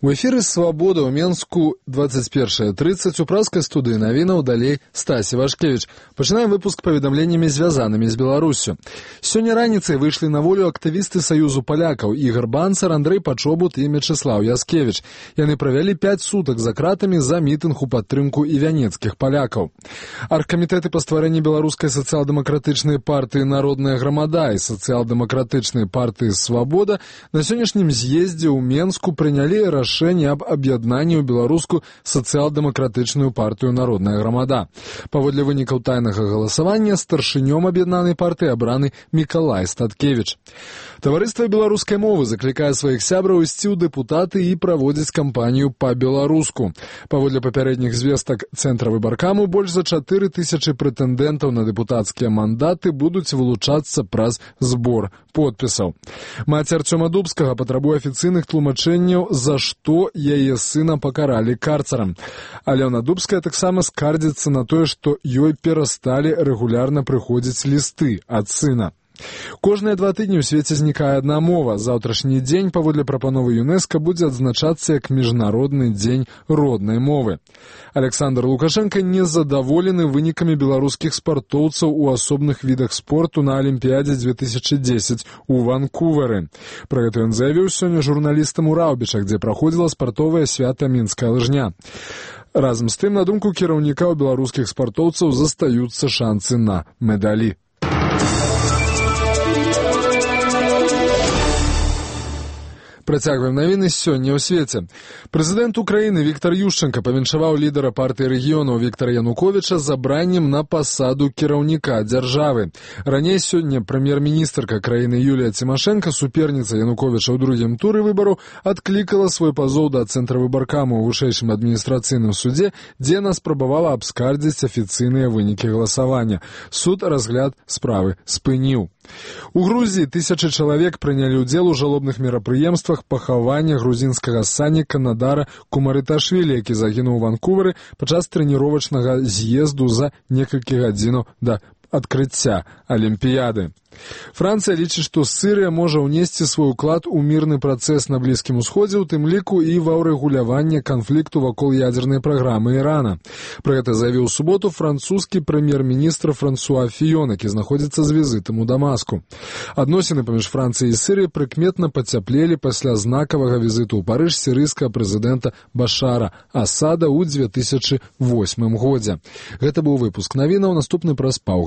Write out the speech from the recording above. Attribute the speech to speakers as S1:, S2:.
S1: У эфіры «Свабода» ў Менску 21:30 у праскай студыі навінаў далей Стасі Вашкевіч. Пачынаем выпуск паведамленнямі, звязанымі з Беларуссю. Сёння раніцай выйшлі на волю актывісты Саюзу палякаў Ігор Банцар, Андрэй Пачобут і Мячеслаў Яскевіч. Яны правялі 5 сутак за кратамі за мітынг у падтрымку івянецкіх палякаў. Аргкамітэты па стварэнні беларускай сацыял-дэмакратычнай партыі «Народная грамада» і сацыял-дэмакратычнай партыі «Свабода» на сённяшнім з'ездзе ў Менску прынялі рашэнне аб аб'яднанні ў беларускую сацыял-дэмакратычную партыю «Народная грамада». Паводле вынікаў тайнага галасавання старшынём аб'яднанай партыі абраны Мікалай Статкевіч. Таварыства беларускай мовы заклікае сваіх сябраў ісці ў дэпутаты і праводзіць кампанію па-беларуску. Паводле папярэдніх звестак Цэнтра выбаркаму, больш за 4000 прэтэндэнтаў на дэпутацкія мандаты будуць вылучацца праз збор подпісаў. Маці Арцёма Дубскага патрабуе афіцыйных тлумачэнняў, за што яе сына пакаралі карцарам. Алёна Дубская таксама скардзіцца на тое, што ёй перасталі рэгулярна прыходзіць лісты ад сына. Кожныя 2 тыдні ў свеце знікае адна мова. Заўтрашні дзень, паводле прапановы ЮНЕСКО, будзе адзначацца як міжнародны дзень роднай мовы. Александр Лукашенко незадаволены вынікамі беларускіх спартоўцаў у асобных відах спорту на Алімпіядзе 2010 у Ванкувары. Пра гэта ён заявіў сёння журналістам у Раўбічах, дзе праходзіла спартовае свята мінская лыжня. Разам з тым, на думку кіраўніка, у беларускіх спартоўцаў застаюцца шанцы на медалі. Працягваем навіны сёння ў свеце. Прэзідэнт Украіны Віктар Ющенка павіншаваў лідара партыі рэгіёнаў Віктара Януковіча забраннем на пасаду кіраўніка дзяржавы. Раней сёння прэм'ер-міністрка краіны Юлія Цімашэнка, суперніца Януковіча ў другім туры выбараў, адклікала свой пазоў да Цэнтра выбаркаму ў вышэйшым адміністрацыйным судзе, дзе яна спрабавала абскардзіць афіцыйныя вынікі галасавання. Суд разгляд справы спыніў. У Грузіі 1000 чалавек прынялі ўдзел у жалобных мерапрыемствах пахавання грузінскага санніка Надара Кумарыташвілі, які загінуў у Ванкувары падчас трэніровачнага з'езду за некалькі гадзінаў да адкрыцця Алімпіяды. Францыя лічыць, што Сірыя можа ўнесці свой уклад у мірны працэс на Блізкім Усходзе, у тым ліку і ва ўрэгуляванне канфлікту вакол ядзернай праграмы Ірана. Пра гэта заявіў у суботу французскі прэм'ер-міністр Франсуа Фіён, які знаходзіцца з візітам у Дамаску. Адносіны паміж Францыяй і Сірыяй прыкметна пацяплелі пасля знакавага візіту ў Парыж сірыйскага прэзідэнта Башара Асада ў 2008 годзе. Гэта быў выпуск навінаў, наступны праз паўгадзіны.